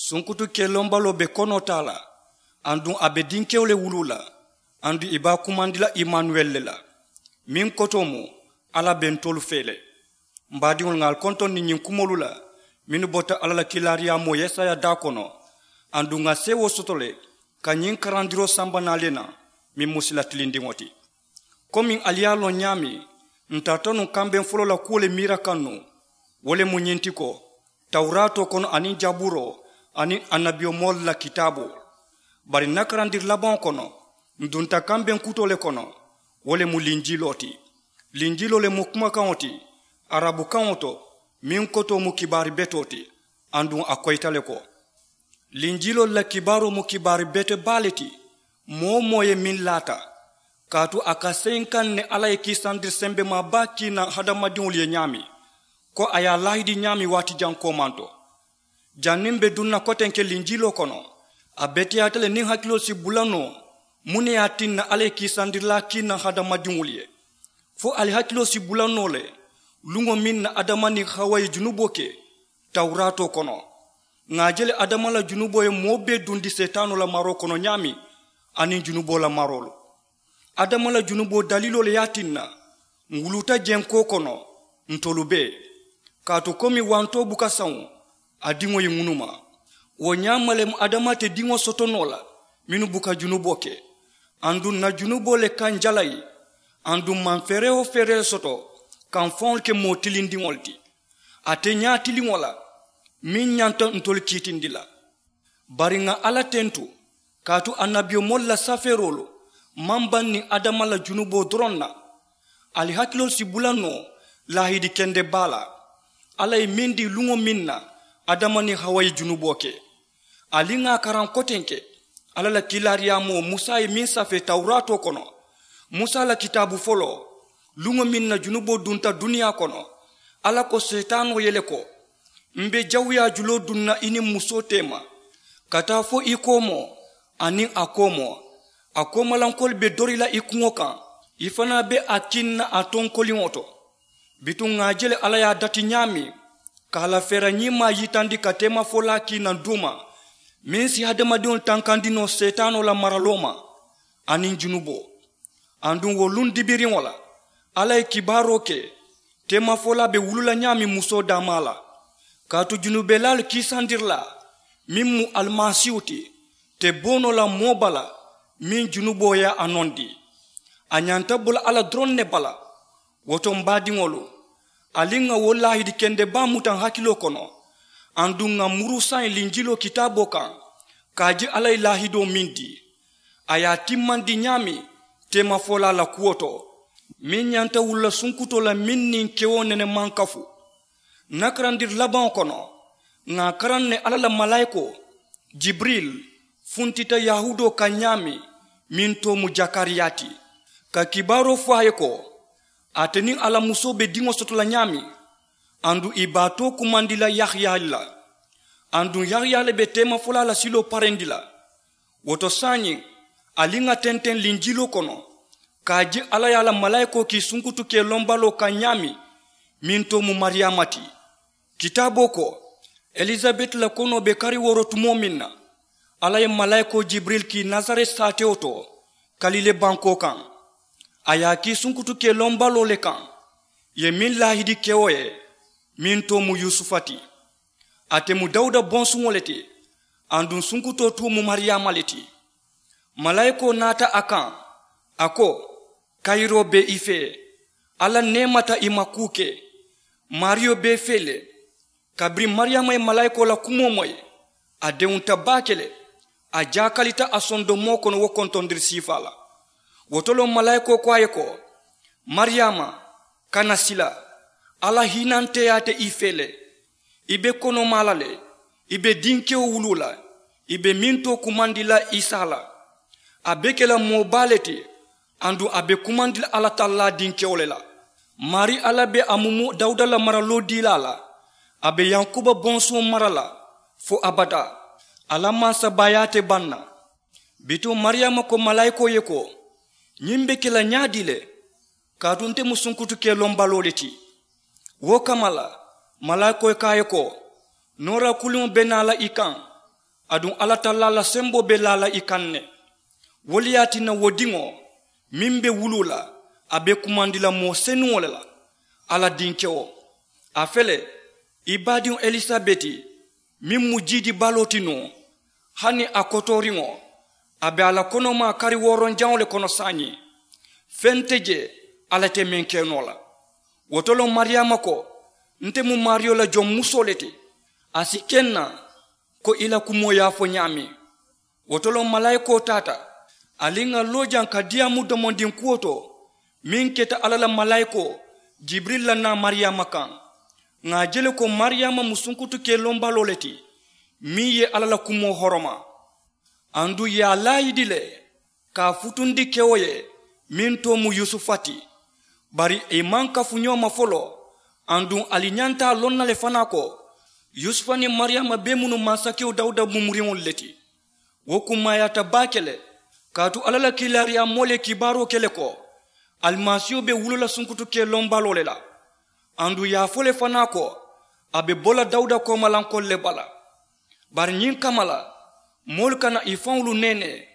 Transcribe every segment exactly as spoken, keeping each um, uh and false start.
Sunkutu kelombaloo be konoo taa la, aduŋ a be dinkewo le wuluu la, aduŋ ì be a kumandi la imanuweli le la, meŋ kotoo mu alla be ntolu fee le. M baadiŋolu, ŋà ali kontondi ñiŋ kumoolu la mennu bota alla la kiilaariyaamoo yesaya daa kono, aduŋ ŋà seewoo soto le ka ñiŋ karandiroo samba naa le naŋ, meŋ mu sila tilindiŋo ti. Komiŋ ali ye a loŋ ñaameŋ, ǹ tarata nuŋ kambeŋ foloo la kuwo le miira kaŋ nuŋ. Wo le mu ñiŋ ti ko, tawuraatoo kono aniŋ jabuuroo aniŋ annabiyomoolu la kitaaboo. Bari ǹ na karandiri labaŋo kono, ǹ dunta kambeŋ kutoo le kono. Wo le mu linjiloo ti. Linjiloo le mu kumakaŋo ti, arabukaŋo to, meŋ kotoo mu kibaari betoo ti. Aduŋ a koyita le ko, linjiloolu la kibaaroo mu kibaari bete baa le ti. Moo-wo-moo ye meŋ laata, kaatu a ka seyi n kaŋ ne alla ye kiisandiri sembemaa baa kii naŋ hadamadiŋolu ye ñaameŋ, ko a ye a laahidi ñaameŋ waati jaŋ koomanto. Janniŋ m̀ be duŋ na kotenke linjiloo kono, a beteyaata le niŋ hakiloo si bula noo muŋ ne ye a tinna alla ye kiisandirilaa kii naŋ hadamadiŋolu ye. Fo ali hakiloo si bula noo le luŋo meŋ na adama niŋ hawa ye junuboo ke tawuraatoo kono. Ŋà a je le adama la junuboo ye moo bee dundi seetaanoo la maroo kono ñaameŋ, aniŋ junuboo la maroolu. Adama la junuboo daliiloo le ye a tinna ǹ wuluuta jenkoo kono, ntolu bee. Kaatu komi wantoo buka saŋo, a diŋo ye ŋunuma. Wo ñaama le mu adama te diŋo soto noo la mennu buka junuboo ke. Aduŋ ǹ na junuboo le ka ǹ jalayi. Aduŋ ǹ maŋ feeree-wo-feeree le soto ka ǹ faŋolu ke moo tilindiŋolu ti, ate ñaatiliŋo la, meŋ ñanta ntolu kiitindi la. Bari ŋà alla tentu, kaatu annabiyomoolu la safeeroolu maŋ baŋ niŋ adama la junuboo doroŋ na. Ali hakiloolu si bula noo laahidi kende baa la, alla ye meŋ dii luŋo meŋ na adama niŋ hawa ye junuboo ke. Ali ŋà a karaŋ kotenke, alla la kiilaariyaamoo musa ye meŋ safee tawuraatoo kono, musa la kitaabu foloo, luŋo meŋ na junuboo dunta duniyaa kono, alla ko seetaanoo ye le ko, m̀ be jawuyaa juloo duŋ na i niŋ musoo teema, ka taa fo i koomoo aniŋ a koomoo. A koomalankoolu be dori la i kuŋo kaŋ, i fanaa be a kiŋ na a tonkoliŋo to. Bituŋ ŋà a je le alla ye a dati ñaameŋ, ka a la feera ñiimaa yitandi ka teemafolaa kii naŋ duuma, meŋ si hadamadiŋolu tankandi noo seetaanoo la maraloo ma aniŋ junuboo. Aduŋ wo luŋ dibiriŋo la, alla ye kibaaroo ke teemafolaa be wulu la ñaameŋ musoo daamaa la. Kaatu junubelaalu kiisandirilaa meŋ mu alimasiihu ti, te boo noo la moo bala meŋ junuboo ye a nondi. A ñanta bo la alla doroŋ ne bala. Wo to m̀ baadiŋolu, ali ŋà wo laahidi kende baa muta ǹ hakiloo kono, aduŋ ŋà muru saayiŋ linjiloo kitaaboo kaŋ, ka a je alla ye laahidoo meŋ dii, a ye a timmandi ñaameŋ teemafolaa la kuwo to, meŋ ñanta wulula sunkutoo la meŋ niŋ kewo nene maŋ kafu. Ǹ na karandiri labaŋo kono, ŋà a karaŋ ne alla la malaayikoo jibiril funtita yahuudoo kaŋ ñaameŋ, meŋ too mu jakariyaa ti, ka kibaaroo fo a ye ko, ate niŋ a la musoo be diŋo soto la ñaameŋ, aduŋ ì be a too kumandi la yahaya le la. Aduŋ yahaya le be teemafolaa la siloo parendi la. Wo to saayiŋ, ali ŋà tenteŋ linjiloo kono, ka a je alla ye a la malaayikoo kii sunkutu kelombaloo kaŋ ñaameŋ, meŋ too mu mariyaama ti. Kitaaboo ko, elisabeti la konoo be kari wooro tumoo meŋ na, alla ye malaayikoo jibiril kii nasareti saatewo to, kalile bankoo kaŋ. A ye a kii sunkutu kelombaloo le kaŋ, ì ye meŋ laahidi kewo ye, meŋ too mu yusufa ti. Ate mu dawuda bonsuŋo le ti, aduŋ sunkutoo tuu mu mariyaama le ti. Malaayikoo naata a kaŋ, a ko, kayiroo be i fee, alla neemata i ma kuu ke. Maariyo be i fee le. Kabiriŋ mariyaama ye malaayikoo la kumoo moyi, a dewunta baake le. A jaakalita a sondomoo kono wo kontondiri siifaa la. Wo to le malaayikoo ko a ye ko, mariyaama, kana sila, alla hiinanteyaa te i fee le. I be konomaa la le, i be dinkewo wuluu la, i be meŋ too kumandi la isa la. A be ke la moo baa le ti, aduŋ a be kumandi la alla tallaa dinkewo le la. Maarii alla be a mumu dawuda la maraloo diilaa la. A be yankuba bonsuŋo mara la fo abadaa. A la mansabaayaa te baŋ na. Bituŋ mariyaama ko malaayikoo ye ko, ñiŋ be ke la ñaadii le? Kaatu nte mu sunkutu kelombaloo le ti. Wo kamma la, malaayikoo ye ko a ye ko, noora kuliŋo be naa la i kaŋ, Aduŋ alla tallaa la semboo be laa la i kaŋ ne. Wo le ye a tinna wo diŋo meŋ be wuluu la, a be kumandi la moo senuŋo le la. Alla dinkewo, a fele, i baadiŋo elisabeti meŋ mu jiidi baloo ti nuŋ, hani a kotooriŋo, a be a la konomaa kari wooronjaŋo le kono saayiŋ. Feŋ te jee alla te meŋ ke noo la. Wo to loŋ mariyaama ko, nte mu maariyo la joŋ musoo le ti, a si ke n na ko i la kumoo ye a fo ñaameŋ. Wo to loŋ malaayikoo taata, ali ŋà loo jaŋ ka diyaamu domondiŋ kuwo to meŋ keta alla la malaayikoo jibirili la naa mariyaama kaŋ. Ŋà a je le ko mariyaama mu sunkutu kee lombaloo le ti meŋ ye alla la kumoo horoma. Aduŋ ì ye a laayidi le ka a futundi kewo ye meŋ too mu yusufa ti. Bari ì maŋ kafu ñoo ma foloo. Aduŋ ali ñanta a loŋ na le fanaa ko yusufa niŋ mariyaama bee mu nuŋ mansakewo dawuda mumuriŋolu le ti. Wo kummaayaata baake le, kaatu alla la kiilaariyaamoolu ye kibaaroo ke le ko alimasiiho be wuloo la sunkutu kee lombaloo le la. Aduŋ ì ye a fo le fanaa ko a be bo la dawuda koomalankoolu le bala. Bari ñiŋ kamma la, moolu kana ì faŋolu neenee.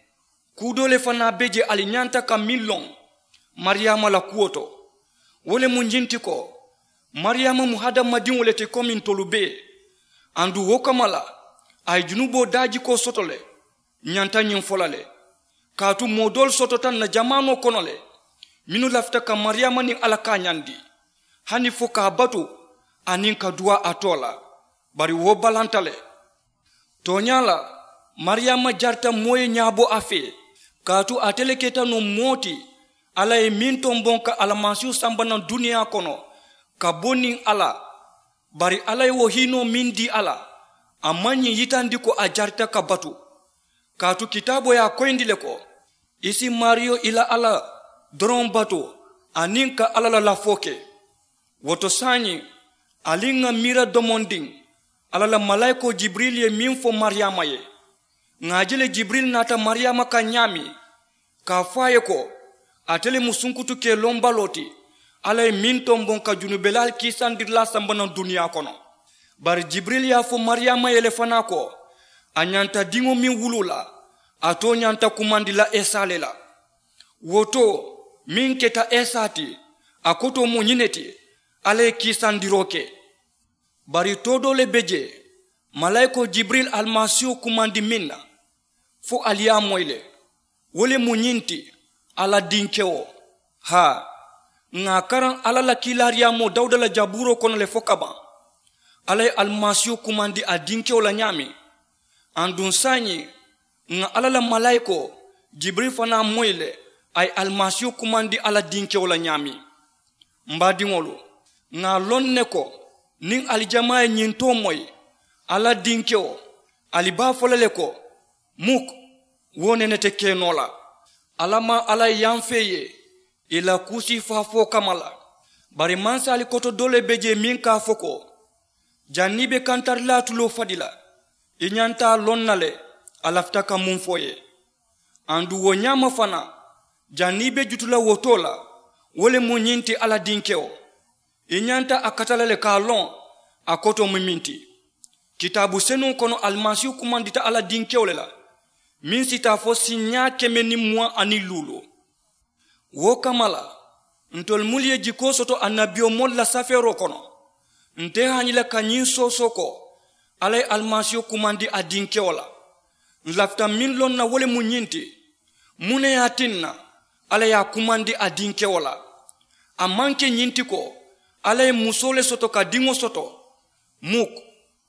Kuu doo le fanaa be je ali ñanta ka meŋ loŋ mariyaama la kuwo to. Wo le mu ñiŋ ti ko mariyaama mu hadamadiŋo le ti komi ntolu bee. Aduŋ wo kamma la, a ye junuboo daajikoo soto le. Ñanta ñiŋ fo la le, kaatu moo doolu sotota ǹ na jamaanoo kono le mennu lafita ka mariyaama niŋ alla kaañandi hani fo ka a batu aniŋ ka duwaa a too la. Bari wo balanta le. Tooñaa la, mariyaama jarita moo ye ñaabo a fee, kaatu ate le keta nuŋ moo ti alla ye meŋ tomboŋ ka alimasiihu samba naŋ duniyaa kono ka bo niŋ a la. Bari alla ye wo hiinoo meŋ dii a la, a maŋ ñiŋ yitandi ko a jarita ka batu. Kaatu kitaaboo ye a koyindi le ko i si maariyo i la alla doroŋ batu aniŋ ka alla la lafoo ke. Wo to saayiŋ, ali ŋà miira domondiŋ alla la malaayikoo jibirili ye meŋ fo mariyaama ye. Ŋà a je le jibirili naata mariyaama kaŋ ñaameŋ, ka a fo a ye ko ate le mu sunkutu kee lombaloo ti, alla ye meŋ tomboŋ ka junubelaalu kiisandirilaa samba naŋ duniyaa kono. Bari jibirili ye a fo mariyaama ye le fanaa ko a ñanta diŋo meŋ wuluu la, a too ñanta kumandi la esa le la. Wo too meŋ keta esa ti, a kotoo mu ñiŋ ne ti, alla ye kiisandiroo ke. Bari too doo le be jee malaayikoo jibirili alimasiiho kumandi meŋ na, fo ali ye a moyi le. Wo le mu ñiŋ ti, alla dinkewo. Haa, ŋà a karaŋ alla la kiilaariyaamoo dawuda la jabuuroo kono le fo kabaŋ. Alla ye alimasiiho kumandi a dinkewo la ñaameŋ. Aduŋ saayiŋ, ŋà alla la malaayikoo jibirili fanaa moyi le, a ye alimasiiho kumandi alla dinkewo la ñaameŋ. M baadiŋolu, ŋà a loŋ ne ko niŋ ali jamaa ye ñiŋ too moyi, alla dinkewo, ali be a fo la le ko, muk, wo nene te ke noo la. Alla maŋ alla ye yamfee ye ì la kuusii faafoo kamma la. Bari mansaali koto doo le be jee meŋ ka a fo ko, janniŋ i be kantarilaa tuloo fadi la, i ñanta a loŋ na le a lafita ka muŋ fo i ye. Aduŋ wo ñaama fanaa, janniŋ i be jutu la wo too la, wo le mu ñiŋ ti alla dinkewo. I ñanta a kata la le ka a loŋ a kotoo mu meŋ ti. Kitaabu senuŋo kono alimasiihu kumandita alla dinkewo le la, meŋ si taa fo siiñaa keme niŋ muwaŋ aniŋ luuloo. Wo kamma la, ntolu mennu ye jikoo soto annabiyomoolu la safeeroo kono, nte haañi la ka ñiŋ soosoo ko alla ye alimasiihu kumandi a dinkewo la. Ǹ lafita meŋ loŋ na wo le mu ñiŋ ti, muŋ ne ye a tinna alla ye a kumandi a dinkewo la? A maŋ ke ñiŋ ti ko alla ye musoo le soto ka diŋo soto? Muk.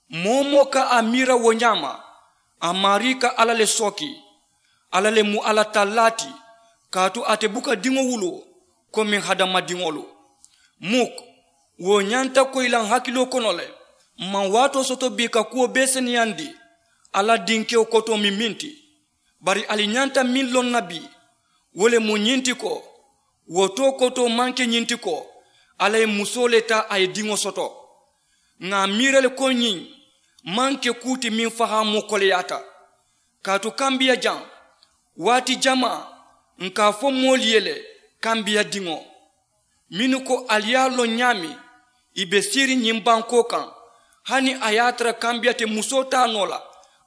Moo-wo-moo ka a miira wo ñaama, a maarii ka alla le sooki. Alla le mu alla tallaa ti, kaatu ate buka diŋo wuloo komi hadamadiŋolu. Muk. Wo ñanta koyi la ǹ hakiloo kono le. M maŋ waatoo soto bii ka kuwo bee seneyandi alla dinkewo kotoo mu meŋ ti. Bari ali ñanta meŋ loŋ na bii, wo le mu ñiŋ ti ko, wo too kotoo maŋ ke ñiŋ ti ko alla ye musoo le taa a ye diŋo soto. Ŋà a miira le ko ñiŋ maŋ ke kuu ti meŋ fahaamoo koleyaata. Kaatu kambiya jaŋ, waati jamaa ǹ ka a fo moolu ye le, kambiya diŋo, mennu ko ali ye a loŋ ñaameŋ, ì be siiriŋ ñiŋ bankoo kaŋ, hani a ye a tara kambiya te musoo taa noo la,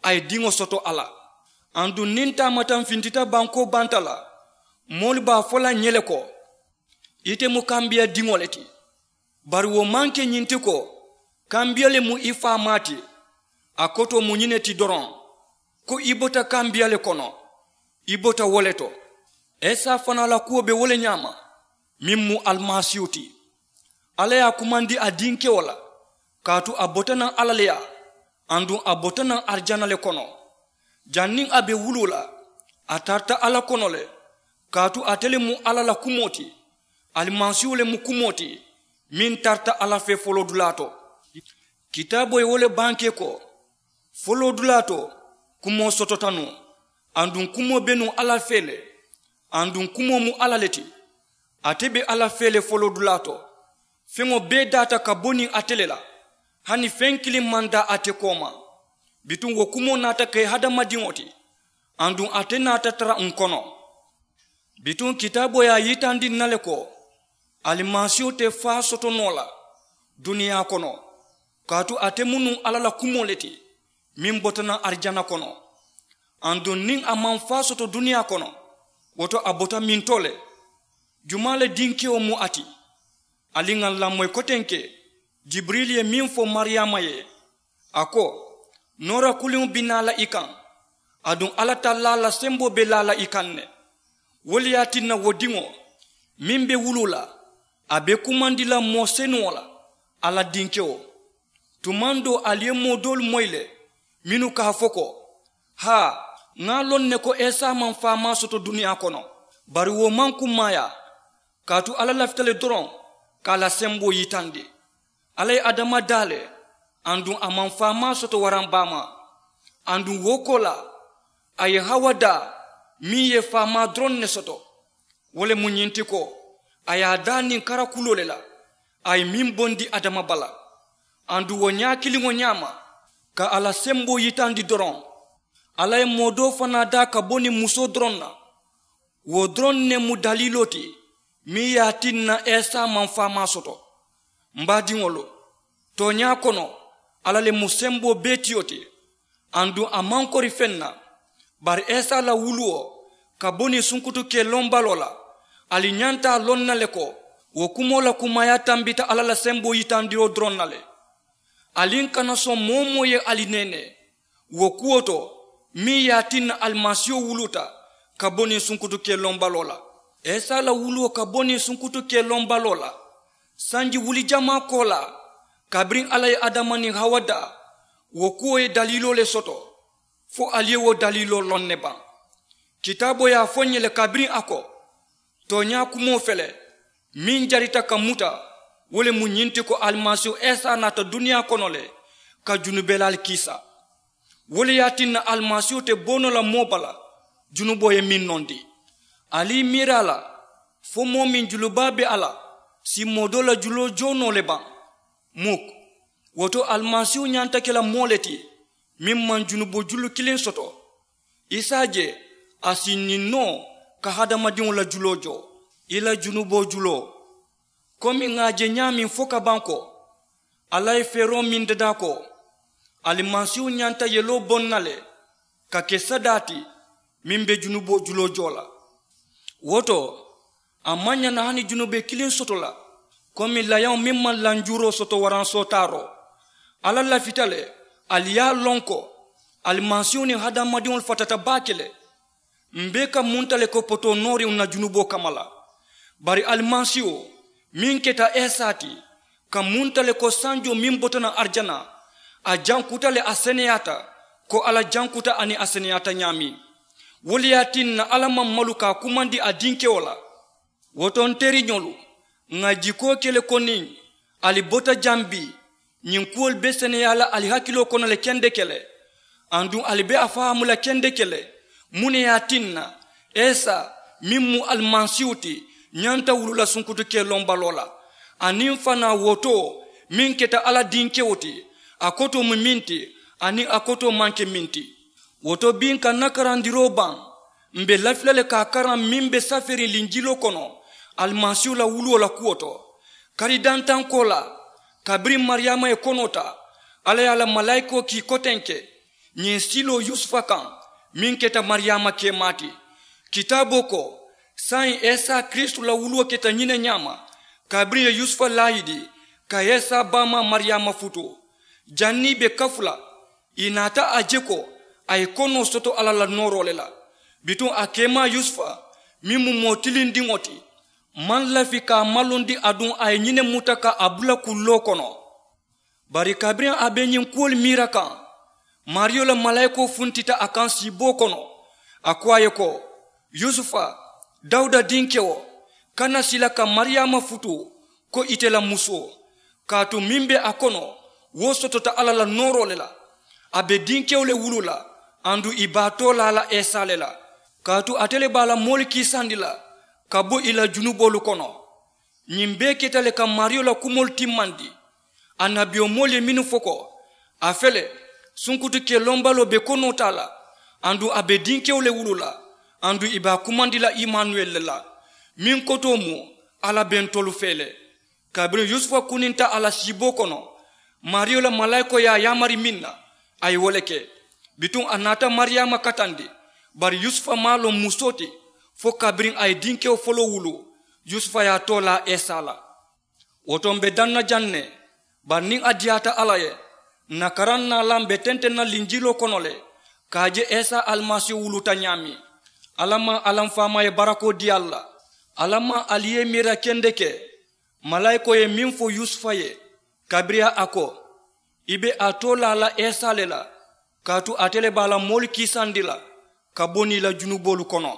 a ye diŋo soto a la. Aduŋ niŋ taamataŋ fintita bankoo banta la, moolu be a fo la ǹ ye le ko, ite mu kambiya diŋo le ti. Bari wo maŋ ke ñiŋ ti ko kambiya le mu i faamaa ti. A kotoo mu ñiŋ ne ti doroŋ, ko i bota kambiya le kono, i bota wo le to. Isa fanaa la kuwo be wo le ñaama, meŋ mu alimasiihu ti. Alla ye a kumandi a dinkewo la, kaatu a bota naŋ alla le yaa, aduŋ a bota naŋ arijana le kono. Janniŋ a be wuluu la, a tarata alla kono le, kaatu ate le mu alla la kumoo ti. Alimasiihu le mu kumoo ti, meŋ tarata alla fee foloodulaa to. Kitaaboo ye wo le bankee ko, foloodulaa to kumoo sotota nuŋ, aduŋ kumoo be nuŋ alla fee le, aduŋ kumoo mu alla le ti. Ate be alla fee le foloodulaa to. Feŋo bee daata ka bo niŋ ate le la, hani feŋ kiliŋ maŋ daa ate kooma. Bituŋ wo kumoo naata ke hadamadiŋo ti, aduŋ ate naata tara ǹ kono. Bituŋ kitaaboo ye a yitandi ǹ na le ko, alimasiihu te faa soto noo la duniyaa kono, kaatu ate mu nuŋ alla la kumoo le ti, meŋ bota naŋ arijana kono. Aduŋ niŋ a maŋ faa soto duniyaa kono, wo to a bota mintoo le. Jumaa le dinkewo mu a ti? Ali ŋà ǹ lamoyi kotenke, jibirili ye meŋ fo mariyaama ye, a ko, noora kuliŋo be naa la i kaŋ, aduŋ alla tallaa la semboo be laa la i kaŋ ne. Wo le ye a tinna wo diŋo meŋ be wuluu la, a be kumandi la moo senuŋo la, alla dinkewo. Tumaŋ doo ali ye moo doolu moyi le, mennu ka a fo ko, haa, ŋà a loŋ ne ko isa maŋ faamaa soto duniyaa kono. Bari wo maŋ kummaayaa, kaatu alla lafita le doroŋ ka a la semboo yitandi. Alla ye adama daa le, aduŋ a maŋ faamaa soto waraŋ baamaa. Aduŋ wo koolaa, a ye hawa daa, meŋ ye faamaa doroŋ ne soto. Wo le mu ñiŋ ti ko, a ye a daa niŋ karakuloo le la, a ye meŋ bondi adama bala. Aduŋ wo ñaa kiliŋo ñaama, ka a la semboo yitandi doroŋ, alla ye moo doo fanaa daa ka bo niŋ musoo doroŋ na. Wo doroŋ ne mu daliiloo ti, meŋ ye a tinna isa maŋ faamaa soto. M baadiŋolu, tooñaa kono, alla le mu semboo bee tiyo ti. Aduŋ a maŋ kori feŋ na. Bari isa la wuluwo ka bo niŋ sunkutu kee loŋ baloo la, ali ñanta a loŋ na le ko, wo kumoo la kummaayaa tambita alla la semboo yitandiroo doroŋ na le. Ali ǹ kana soŋ moo-wo-moo ye ali neenee wo kuwo to, meŋ ye a tinna alimasiiho wuluuta ka bo niŋ sunkutu kee loŋ baloo la. Isa la wuluwo ka bo niŋ sunkutu kee loŋ baloo la, sanji wuli jamaa koolaa, kabiriŋ alla ye adama niŋ hawa daa, wo kuwo ye daliiloo le soto. Fo ali ye wo daliiloo loŋ ne baŋ? Kitaaboo ye a fo ǹ ye le kabiriŋ a ko, tooñaa kumoo fele, meŋ jarita ka muta, wo le mu ñiŋ ti ko alimasiihu isa naata duniyaa kono le ka junubelaalu kiisa. Wo le ye a tinna alimasiihu te bo noo la moo bala, junuboo ye meŋ nondi. Ali i miira a la, fo moo meŋ junubaa be a la, si moo doo la juloo joo noo le baŋ? Muk. Wo to alimasiihu ñanta ke la moo le ti, meŋ maŋ junuboo julu kiliŋ soto. I si a je a si ñiŋ noo ka hadamadiŋo la juloo joo, i la junuboo juloo. Komi ŋà a je ñaameŋ fo ka baŋ ko, alla ye feeroo meŋ dadaa ko, alimasiihu ñanta yeloo boŋ na le ka ke sadaa ti, meŋ be junuboo juloo joo la. Wo to, a maŋ ñaŋ na hani junubee kiliŋ soto la, komi layaŋo meŋ maŋ lanjuuroo soto waraŋ sootaaroo. Alla lafita le, ali ye a loŋ ko, alimasiihu niŋ hadamadiŋolu fatata baake le. M be ka munta le ko potoo nooriŋo na junuboo kamma la. Bari alimasiihu meŋ keta isa ti, ka munta le ko sanjoo meŋ bota naŋ arijana, a jankuta le a seneyaata, ko alla jankuta aniŋ a seneyaata ñaameŋ. Wo le ye a tinna alla maŋ malu ka a kumandi a dinkewo la. Wo to n teriñolu, ŋà jikoo ke le ko niŋ ali bota jaŋ bii, ñiŋ kuwolu be seneyaa la ali hakiloo kono le kendeke le. Aduŋ ali be a fahaamu la kendeke le, muŋ ne ye a tinna isa meŋ mu alimasiihu ti, ñanta wuluu la sunkutu kee loŋ baloo la. Aniŋ fanaa wo to meŋ keta alla dinkewo ti, a kotoo mu meŋ ti, aniŋ a kotoo maŋ ke meŋ ti. Wo to bii n ka n na karandiroo baŋ, m be lafi la le ka a karaŋ meŋ be saferiŋ linjiloo kono, alimasiihu la wuluwo la kuwo to. Kari dantaŋ koolaa, kabiriŋ mariyaama ye konoo taa, alla ye a la malaayikoo kii kotenke, ñiŋ siloo yusufa kaŋ, meŋ keta mariyaama keemaa ti. Kitaaboo ko, saayiŋ isa kiristu la wuluwo keta ñiŋ ne ñaama, kabiriŋ ye yusufa laayidi ka isa baamaa mariyaama futuu. Janniŋ i be kafu la, i naata a je ko a ye konoo soto alla la nooroo le la. Bituŋ a keemaa yusufa, meŋ mu moo tilindiŋo ti, maŋ lafi ka a malondi aduŋ a ye ñiŋ ne muta ka a bula kulloo kono. Bari kabiriŋ a be ñiŋ kuwolu miira kaŋ, maariyo la malaayikoo funtita a kaŋ siiboo kono. A ko a ye ko, yusufa, dawuda dinkewo, kana sila ka mariyaama futuu ko ite la musoo. Kaatu meŋ be a kono, wo sotota alla la nooroo le la. A be dinkewo le wuluu la, aduŋ i be a toolaa la isa le la. Kaatu ate le be a la moolu kiisandi la ka bo i la junuboolu kono. Ñiŋ bee keta le ka maariyo la kumoolu timmandi. Annabiyomoolu ye mennu fo ko, a fele, sunkutu kelombaloo be konoo taa la, aduŋ a be dinkewo le wuluu la, aduŋ i be a kumandi la imanuweli le la, meŋ kotoo mu, alla be ntolu fee le. Kabiriŋ yusufa kuninta a la siiboo kono, maariyo la malaayikoo ye a yaamari meŋ na, a ye wo le ke. Bituŋ a naata mariyaama katandi, bari yusufa maŋ a loŋ musoo ti, fo kabiriŋ a ye dinkewo foloo wuluu, yusufa ye a toolaa isa la. Wo to m̀ be daŋ na jaŋ ne, bari niŋ a diyaata alla ye, ǹ na karaŋ naalaŋ be tenteŋ na linjiloo kono le, ka a je isa alimasiihu wuluuta ñaameŋ. Alla maŋ alla m̀ faamaa ye barakoo dii ali la. Alla maŋ ali ye i miira kendeke. Malaayikoo ye meŋ fo yusufa ye, kabiriŋ a ko, i be a toolaa la isa le la, kaatu ate le be a la moolu kiisandi la ka bo niŋ i la junuboolu kono.